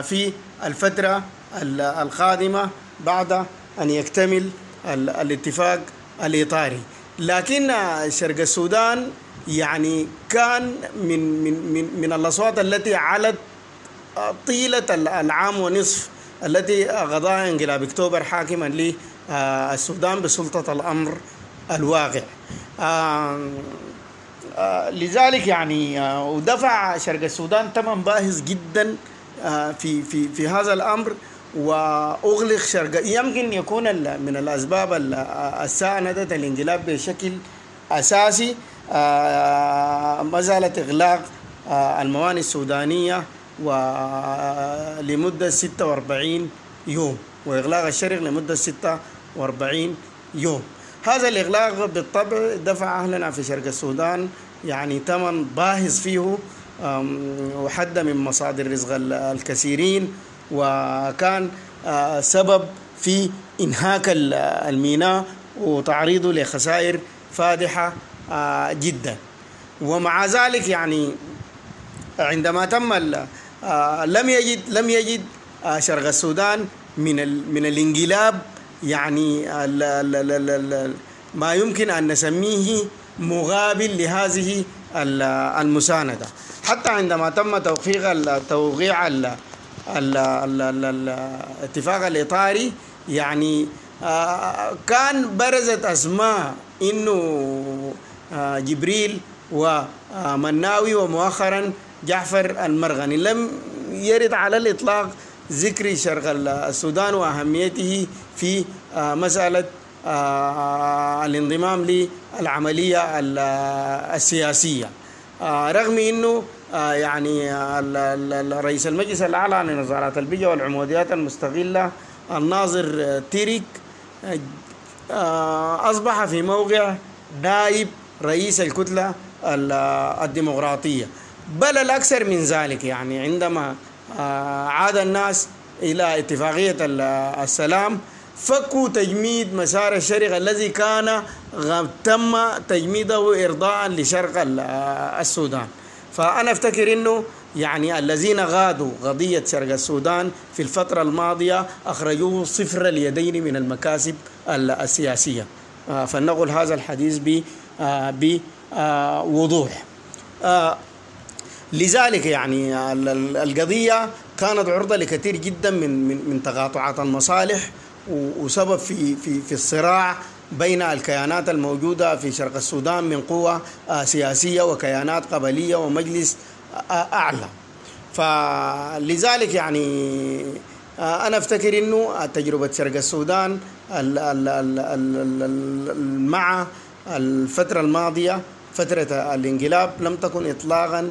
في الفترة القادمة بعد أن يكتمل الاتفاق الإطاري. لكن شرق السودان يعني كان من من من من الأصوات التي علت طيلة العام ونصف التي غضاها انقلاب اكتوبر حاكما للسودان بسلطة الأمر الواقع. لذلك يعني ودفع شرق السودان ثمن باهظ جدا في في في هذا الأمر، وأغلق شرق. يمكن يكون من الأسباب الساندة الانقلاب بشكل أساسي مسألة إغلاق الموانئ السودانية ولمدة 46 يوم، وإغلاق الشرق لمدة 46 يوم. هذا الإغلاق بالطبع دفع أهلنا في شرق السودان يعني ثمن باهظ فيه، وحد من مصادر رزق الكثيرين، وكان سبب في إنهاك الميناء وتعريضه لخسائر فادحة جدا. ومع ذلك يعني عندما تم لم يجد شرق السودان من الانقلاب يعني ما يمكن أن نسميه مقابل لهذه المساندة. حتى عندما تم توقيع الاتفاق الإطاري يعني كان برزت أسماء إنه جبريل ومناوي ومؤخرا جعفر المرغني. لم يرد على الإطلاق ذكر شرق السودان وأهميته في مسألة الانضمام للعملية السياسية، رغم أنه يعني رئيس المجلس الأعلى لنظارات البيئة والعموديات المستغلة الناظر تيريك أصبح في موقع نائب رئيس الكتلة الديمقراطية. بل الأكثر من ذلك يعني عندما عاد الناس إلى اتفاقية السلام فكوا تجميد مسار الشرق الذي كان تم تجميده إرضاء لشرق السودان. فأنا أفتكر أنه يعني الذين غادوا قضية شرق السودان في الفترة الماضية أخرجوه صفر اليدين من المكاسب السياسية. فلنقل هذا الحديث بوضوح. لذلك يعني القضية كانت عرضة لكثير جدا من من تقاطعات المصالح، وسبب في في في الصراع بين الكيانات الموجودة في شرق السودان من قوة سياسية وكيانات قبلية ومجلس أعلى. فلذلك يعني أنا أفتكر أنه تجربة شرق السودان مع الفترة الماضية، فترة الانقلاب، لم تكن إطلاقا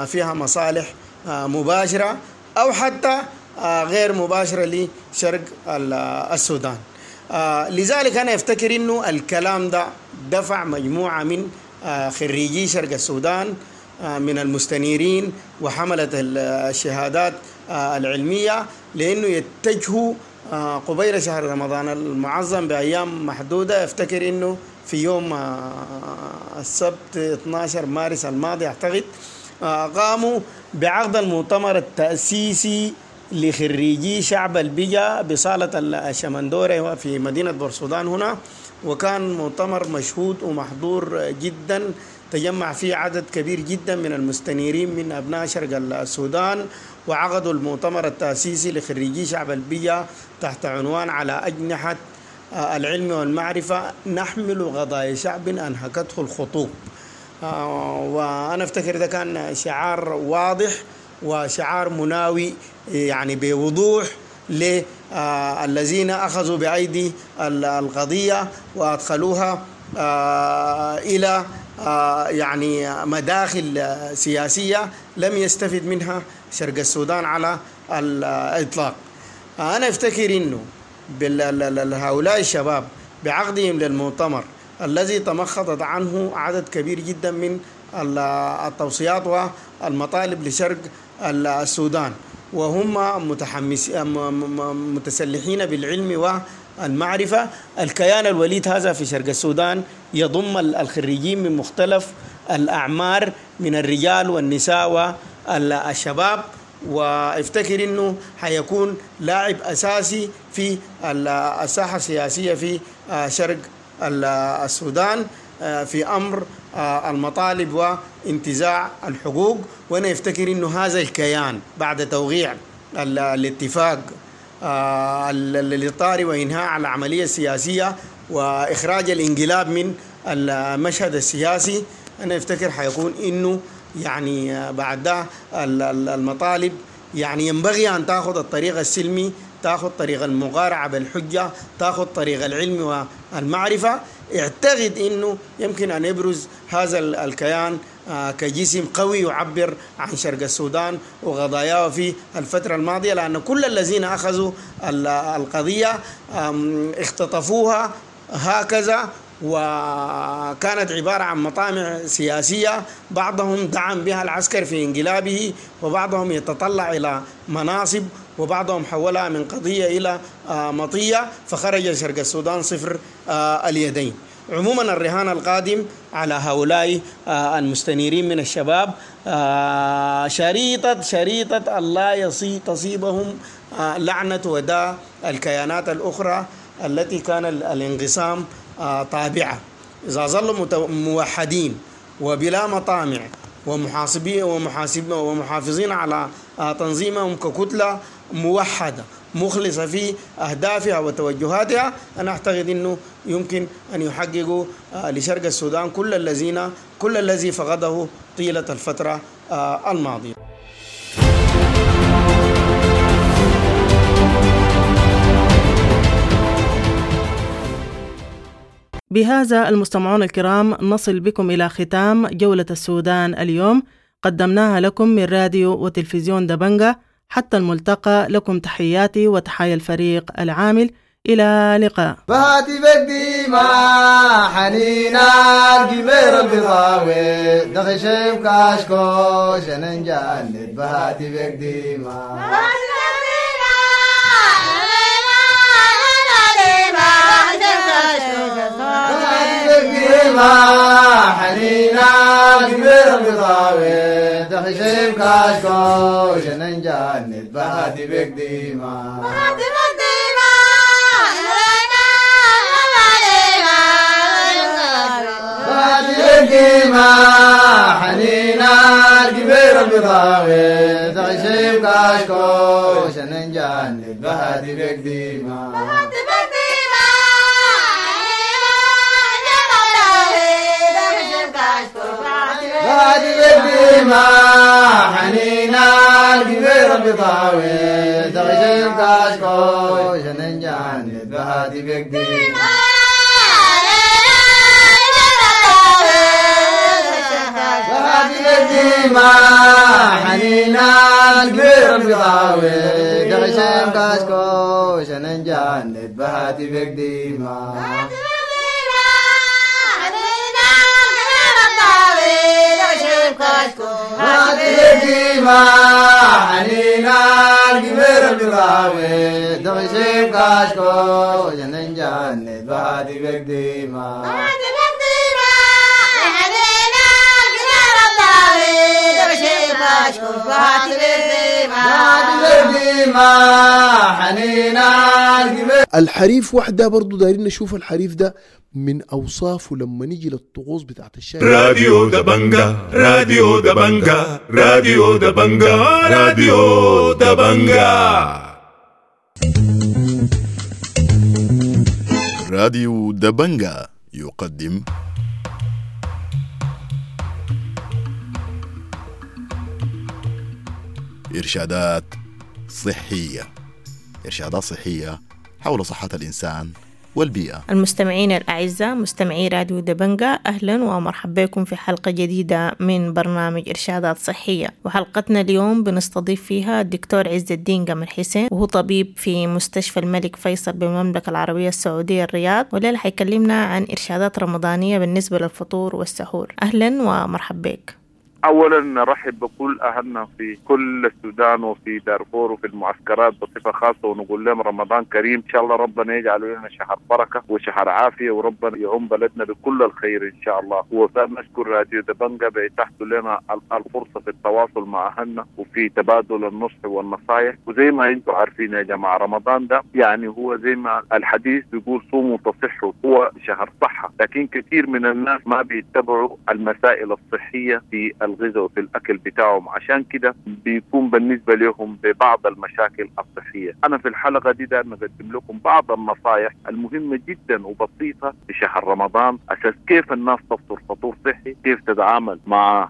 فيها مصالح مباشرة أو حتى غير مباشرة لشرق السودان. لذلك أنا أفتكر أنه الكلام ده دفع مجموعة من خريجي شرق السودان من المستنيرين وحملة الشهادات العلمية لأنه يتجهوا قبيل شهر رمضان المعظم بأيام محدودة. أفتكر أنه في يوم السبت 12 مارس الماضي أعتقد قاموا بعقد المؤتمر التأسيسي لخريجي شعب البجا بصالة الشمندورة في مدينة بورسودان هنا، وكان مؤتمر مشهود ومحضور جدا، تجمع فيه عدد كبير جدا من المستنيرين من أبناء شرق السودان، وعقدوا المؤتمر التأسيسي لخريجي شعب البجا تحت عنوان على أجنحة العلم والمعرفة نحمل قضايا شعب أنهكته الخطوب. وأنا أفتكر ده كان شعار واضح وشعار مناوي يعني بوضوح للذين أخذوا بأيدي القضية وأدخلوها إلى يعني مداخل سياسية لم يستفد منها شرق السودان على الإطلاق. أنا أفتكر أنه هؤلاء الشباب بعقدهم للمؤتمر الذي تمخضت عنه عدد كبير جدا من التوصيات والمطالب لشرق السودان، وهم متسلحين بالعلم والمعرفة. الكيان الوليد هذا في شرق السودان يضم الخريجين من مختلف الأعمار من الرجال والنساء والشباب، وافتكر انه حيكون لاعب اساسي في الساحه السياسيه في شرق السودان في امر المطالب وانتزاع الحقوق. وانا افتكر انه هذا الكيان بعد توقيع الاتفاق الاطاري وانهاء العمليه السياسيه واخراج الانقلاب من المشهد السياسي، انا افتكر حيكون انه يعني بعد ده المطالب يعني ينبغي أن تأخذ الطريق السلمي، تأخذ طريق المقارعة بالحجة، تأخذ طريق العلم والمعرفة. اعتقد أنه يمكن أن يبرز هذا الكيان كجسم قوي يعبر عن شرق السودان وقضاياه في الفترة الماضية، لأن كل الذين أخذوا القضية اختطفوها هكذا، وكانت عبارة عن مطامع سياسية، بعضهم دعم بها العسكر في انقلابه، وبعضهم يتطلع إلى مناصب، وبعضهم حولها من قضية إلى مطية، فخرج شرق السودان صفر اليدين. عموما الرهان القادم على هؤلاء المستنيرين من الشباب شريطة الله تصيبهم لعنة وداء الكيانات الأخرى التي كان الانقسام طابعة. إذا ظلوا موحدين وبلا مطامع ومحاسبين ومحافظين على تنظيمهم ككتلة موحدة مخلصة في أهدافها وتوجهاتها، أنا أعتقد أنه يمكن أن يحققوا لشرق السودان كل الذي فقده طيلة الفترة الماضية. بهذا المستمعون الكرام نصل بكم إلى ختام جولة السودان اليوم، قدمناها لكم من راديو وتلفزيون دبنجة. حتى الملتقى، لكم تحياتي وتحايا الفريق العامل، إلى لقاء. بهاتي بدي ما حنينا الجبير البضاوي دخشم كاشكو شننجان بهاتي بدي ما ما حنينا الجبير البضاوي دخشم كاشكو شننجان بهاتي بدي ما ما حنينا الكبير البضاوي تعشيم كاشكو شننجان بهادي بقديمة بهادي بقديمة. ما حنينا الكبير البطاوي دغشين كاشكو شننجان بهاتي بك ما حنينا الكبير البطاوي دغشين كاشكو شننجان بهاتي بك ديما ما حنينا الكبير البطاوي دغشين كاشكو شننجان بهاتي بك ديما الحريف وحده برضو دايرين نشوف الحريف ده من اوصافه لما نيجي للطقوس بتاعت الشاي. راديو دبنجا، راديو دبنجا، راديو دبنجا، راديو دبنجا. راديو دبنجا يقدم إرشادات صحية. إرشادات صحية حول صحة الإنسان والبيئة. المستمعين الأعزاء، مستمعي راديو دبنجا، أهلا ومرحبا بكم في حلقة جديدة من برنامج إرشادات صحية. وحلقتنا اليوم بنستضيف فيها الدكتور عز الدين قمر حسين، وهو طبيب في مستشفى الملك فيصل بالمملكة العربية السعودية الرياض، والليلة حيكلمنا عن إرشادات رمضانية بالنسبة للفطور والسحور. أهلا ومرحبا بك. أولا نرحب بكل أهلنا في كل السودان وفي دارفور وفي المعسكرات بصفة خاصة، ونقول لهم رمضان كريم إن شاء الله. ربنا يجعل لنا شهر بركة وشهر عافية، وربنا يعم بلدنا بكل الخير إن شاء الله. ونشكر راديو دبنجا بإتاحته لنا الفرصة في التواصل مع أهلنا وفي تبادل النصح والنصائح. وزي ما أنتم عارفين يا جماعة، رمضان ده يعني هو زي ما الحديث بيقول صوموا تصحوا، هو شهر صحة، لكن كثير من الناس ما بيتبعوا المسائل الصحية في الغذاء وفي الأكل بتاعهم، عشان كده بيكون بالنسبة لهم ببعض المشاكل الصحية. أنا في الحلقة دي دايما أقدم لكم بعض النصائح المهمة جدا وبسيطة في شهر رمضان، أساس كيف الناس تفطر فطور صحي، كيف تتعامل مع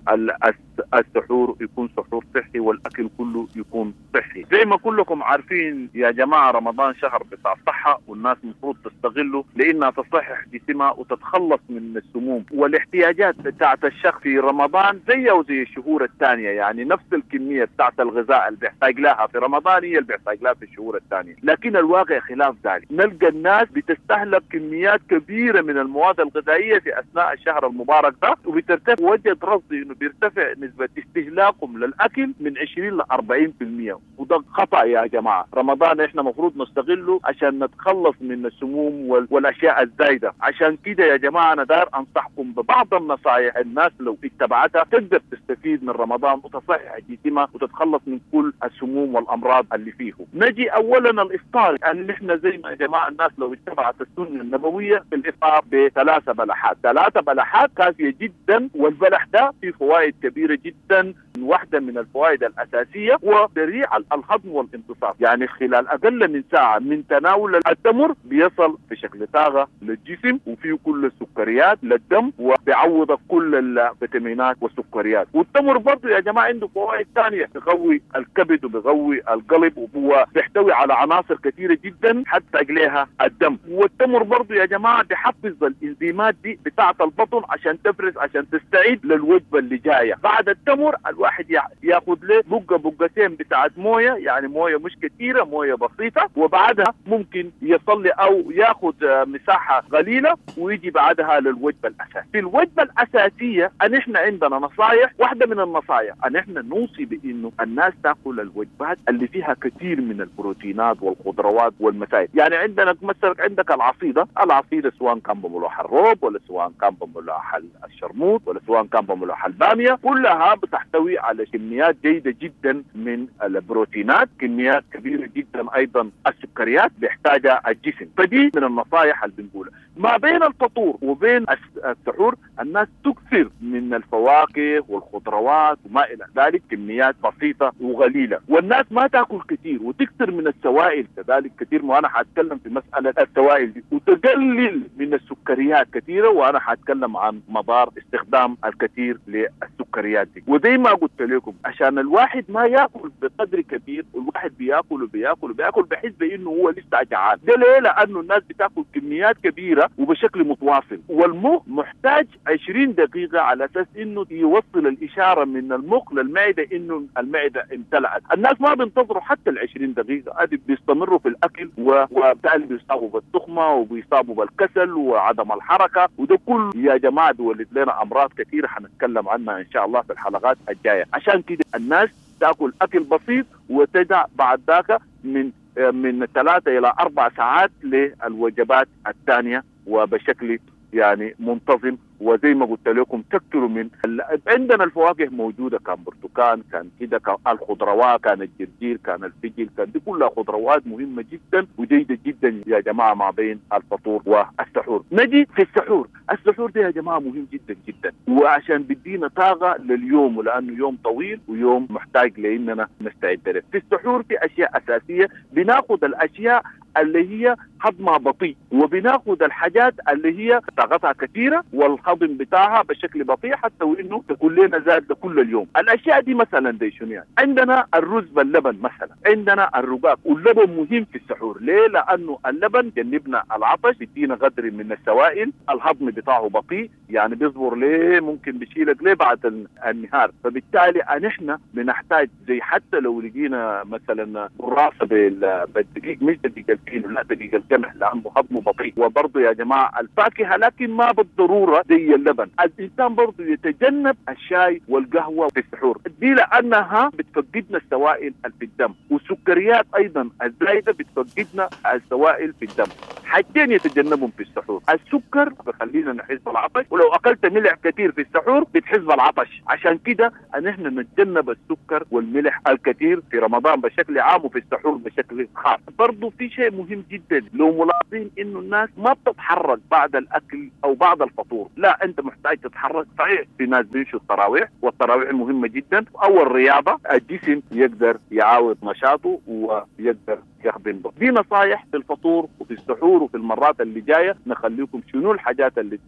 السحور يكون سحور صحي، والأكل كله يكون صحي. زي ما كلكم عارفين يا جماعة، رمضان شهر بتاع صحة، والناس المفروض تستغله لأنها تصحح جسمها وتتخلص من السموم والاحتياجات بتاعت الشخص في رمضان زي وزي الشهور الثانية. يعني نفس الكمية بتاعت الغذاء اللي بيحتاج لها في رمضان هي اللي بيحتاج لها في الشهور الثانية، لكن الواقع خلاف ذلك. نلقى الناس بتستهلك كميات كبيرة من المواد الغذائية في أثناء الشهر المبارك ده، وبترتفع وجد رصدي إنه بيرتفع نسبة استهلاكهم للأكل من 20 ل 40%، وده خطأ يا جماعة. رمضان إحنا مفروض نستغله عشان نتخلص من السموم والأشياء الزايدة. عشان كده يا جماعة أنا دار أنصحكم ببعض النصائح الناس لو اتبعتها تقدر تستفيد من رمضان وتصحح جسمها وتتخلص من كل السموم والأمراض اللي فيه. نجي أولا الإفطار، يعني إحنا زي ما يا جماعة الناس لو اتبعت السنة النبوية في الإفطار ب3 بلحات، 3 بلحات كافية جدا، والبلح ده فيه فوائد كبيرة جدا. واحدة من الفوائد الأساسية هو سريع الهضم والامتصاص، يعني خلال أقل من ساعة من تناول التمر بيصل بشكل طاقة للجسم، وفيه كل السكريات للدم، وبيعوض كل الفيتامينات والسكريات. والتمر برضه يا جماعة عنده فوائد ثانية، بيقوي الكبد وبيقوي القلب، وهو بيحتوي على عناصر كثيرة جدا حتى لها الدم. والتمر برضه يا جماعة بيحفز الإنزيمات دي بتاعة البطن عشان تفرز، عشان تستعيد للوجبة اللي جاية. بعد التمر الواحد ياخذ له بقه بقتين بتاعت مويه، يعني مويه مش كثيره، مويه بسيطه، وبعدها ممكن يصلي او ياخذ مساحه قليله ويجي بعدها للوجبه الاساسيه. في الوجبه الاساسيه ان احنا عندنا نصائح، واحده من النصائح ان احنا نوصي بانه الناس تاكل الوجبات اللي فيها كثير من البروتينات والخضروات والمسائل. يعني عندنا مثلا عندك العصيده، العصيده سواء كان بملوح الروب ولا سواء كان بملوح الشرموط ولا سواء كان بملوح الباميه، كلها بتحتوي على كميات جيدة جدا من البروتينات، كميات كبيرة جدا أيضا السكريات بيحتاجها الجسم. فدي من النصائح اللي بنقولها. ما بين الفطور وبين السحور الناس تكثر من من الفواكه والخضروات وما الى ذلك، كميات بسيطة وقليله، والناس ما تاكل كثير وتكثر من السوائل كذلك كثير، وانا حاتكلم في مسالة السوائل دي، وتقلل من السكريات كثيرة، وانا حاتكلم عن مضار استخدام الكثير للسكريات دي. وزي ما قلت لكم عشان الواحد ما ياكل بقدر كبير، والواحد بياكل وبياكل وبياكل بحس بانه هو لسه جعان. ده ليه؟ لانه الناس بتاكل كميات كبيرة وبشكل متواصل، والمخ محتاج 20 دقيقة على اساس انه يوصل الاشارة من المخ للمعدة انه المعدة امتلأت. الناس ما بينتظروا حتى ال 20 دقيقة، ادي بيستمروا في الاكل، وبالتالي بيصابوا بالتخمه وبيصابوا بالكسل وعدم الحركة، وده كله يا جماعة بيولد لنا امراض كثيرة حنتكلم عنها ان شاء الله في الحلقات الجاية. عشان كده الناس تاكل اكل بسيط وتدع بعد ذاك من 3 الى 4 ساعات للوجبات الثانية وبشكل يعني منتظم. وزي ما قلت لكم تكثروا من عندنا الفواكه موجودة، كان برتقال، كان كده، كان الخضروات، كان الجرجير، كان الفجل، كان دي كلها خضروات مهمة جدا وجيده جدا يا جماعة ما بين الفطور والسحور. نجي في السحور، السحور ده يا جماعة مهم جدا جدا، وعشان بيدينا طاقة لليوم، ولانه يوم طويل ويوم محتاج لاننا نستعد له. في السحور في اشياء اساسية، بناخذ الاشياء اللي هي هضمها بطيء، وبناخذ الحاجات اللي هي طاقتها كثيرة والهضم بتاعها بشكل بطيء حتى وانه تكون لنا زاد كل اليوم. الاشياء دي مثلا دي شنو يعني؟ عندنا الرز باللبن مثلا، عندنا الرقاق، واللبن مهم في السحور. ليه؟ لانه اللبن جنبنا العطش، بيدينا قدر من السوائل، الهضم بتاعه بطيء، يعني بيصبر ليه، ممكن بيشيلك ليه بعد النهار. فبالتالي نحن بنحتاج زي حتى لو لقينا مثلا قراصه بالدقيق، مش دقيق الفينو، لا دقيق القمح، لانه هضمه بطيء. وبرضه يا جماعة الفاكهة، لكن ما بالضرورة زي اللبن. الانسان برضه يتجنب الشاي والقهوة في السحور دي، لانها بتفقدنا السوائل في الدم، والسكريات ايضا الزايدة بتفقدنا السوائل في الدم. حاجتين يتجنبهم في السحور، السكر بخلينا نحس بالعطش، ولو اكلت ملح كثير في السحور بتحس بالعطش. عشان كده نحن نتجنب السكر والملح الكثير في رمضان بشكل عام وفي السحور بشكل خاص. برضه في شيء مهم جدا لو ملاحظين انه الناس ما بتتحرك بعد الاكل او بعد الفطور، لا انت محتاج تتحرك. صحيح في ناس بيمشوا التراويح، والتراويح مهمة جدا، او الرياضة، الجسم يقدر يعاود نشاطه ويقدر يخدم به. دي نصايح في الفطور وفي السحور، وفي المرات اللي جاية نخليكم شنو الحاجات اللي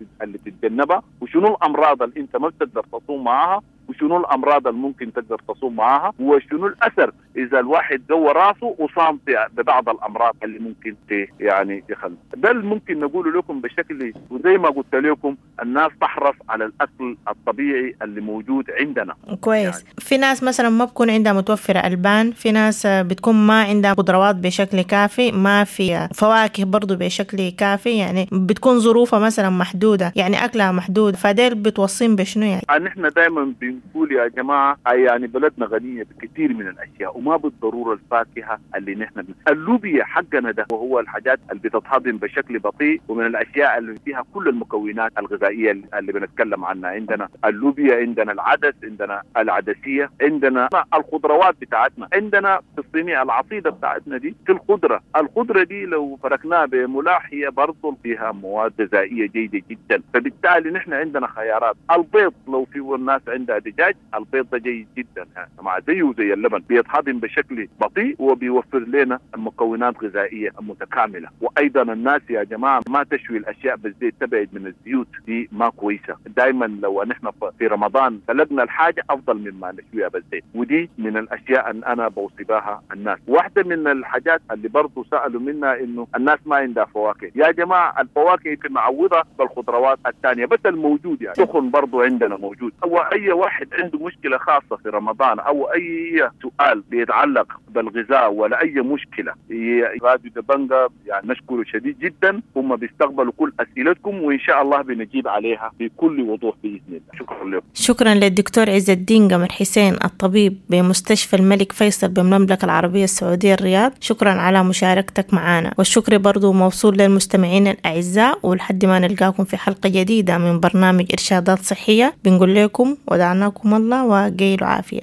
تتجنبها، وشنو الامراض اللي انت ما بتقدر تصوم معاها، وشنو الامراض اللي ممكن تقدر تصوم معاها، وشنو الاثر اذا الواحد جوه راسه وصام ببعض الامراض اللي ممكن يعني يخلي. ده اللي ممكن نقوله لكم بشكل، وزي ما قلت لكم الناس تحرص على الاكل الطبيعي اللي موجود عندنا. كويس يعني. في ناس مثلا ما بكون عندها متوفرة البان، في ناس بتكون ما عندها خضروات بشكل كافي، ما في فواكه برضو بشكل كافي، يعني بتكون ظروفها مثلا محدودة، يعني اكلها محدود، فديل بتوصين بشنو يعني؟ نحن دائما بنقول يا جماعة يعني بلدنا غنية بكثير من الاشياء، وما بالضرورة الفاكهة اللي نحن اللوبيا حقنا ده، وهو الحاجات اللي بتتهضم بشكل بطيء، ومن الاشياء اللي فيها كل المكونات الغذائية اللي بنتكلم عنها. عندنا اللوبيا، عندنا العدس، عندنا العدسيه، عندنا الخضروات بتاعتنا، عندنا في الصينية العصيده بتاعتنا دي في الخضرة، الخضرة دي لو فركناها بملاح هي برضه فيها مواد غذائية جيدة جدا. فبالتالي نحن عندنا خيارات. البيض لو في الناس عندها دجاج، البيض ده جيد جدا مع زيه زي اللبن، بيتهضم بشكل بطيء وبيوفر لنا مكونات غذائية متكاملة. وايضا الناس يا جماعة ما تشوي الاشياء بالزيت، تبعد من الزيوت دي ما كويسة. دائما لو نحن في رمضان سلقنا الحاجة افضل مما نشويها بالزيت، ودي من الاشياء ان انا بوصي بها الناس. واحدة من الحاجات اللي برضه سالوا منها انه الناس ما عندها فواكه. يا جماعة الفواكه يمكن نعوضها بالخضروات الثانية بس الموجود، يعني سخن برضه عندنا موجود. او اي واحد عنده مشكلة خاصة في رمضان او اي سؤال بيتعلق بالغذاء ولا اي مشكلة، راديو دبنجا يعني نشكره شديد جدا، هم بيستقبلوا كل اسئلتكم وان شاء الله بنجيب عليها بكل وضوح باذن الله. شكرا لكم. شكرا للدكتور عز الدين قمر حسين الطبيب بمستشفى الملك فيصل بالمملكة العربية السعودية الرياض، شكرا على مشاركتك معنا، والشكر برضو موصول للمستمعين الاعزاء، ولحد ما نلقاكم في حلقة جديدة من برنامج ارشادات صحية بنقول لكم ودعناكم الله وقيلوا عافية.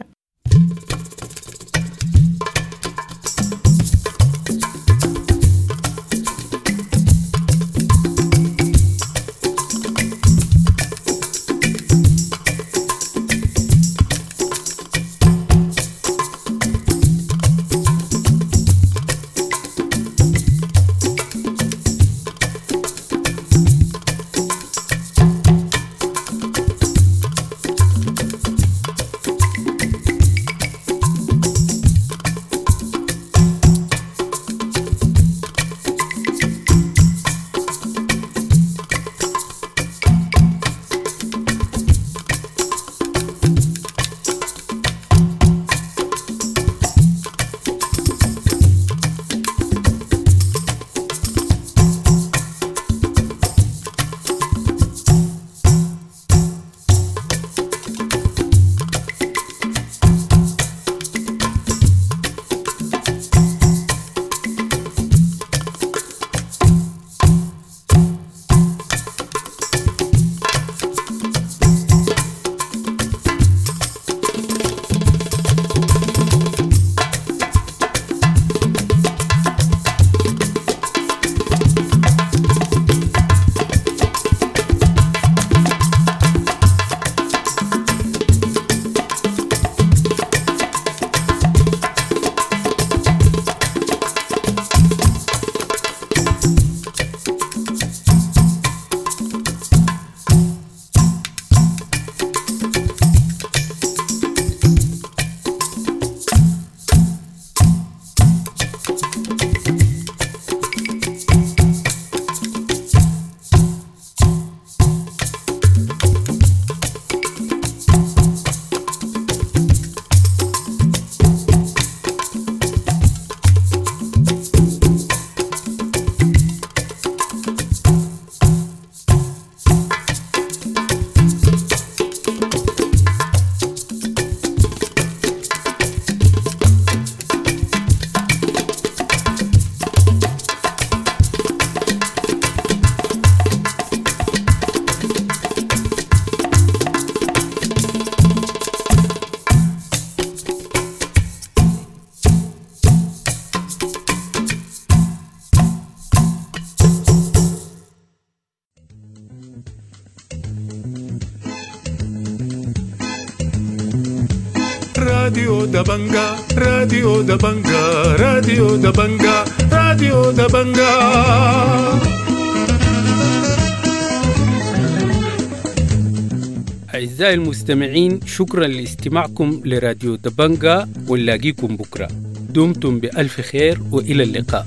راديو دبنجا، راديو دبنجا، راديو دبنجا، راديو دبنجا. أعزائي المستمعين، شكرا لاستماعكم لراديو دبنجا، ونلاقيكم بكرة. دمتم بألف خير وإلى اللقاء.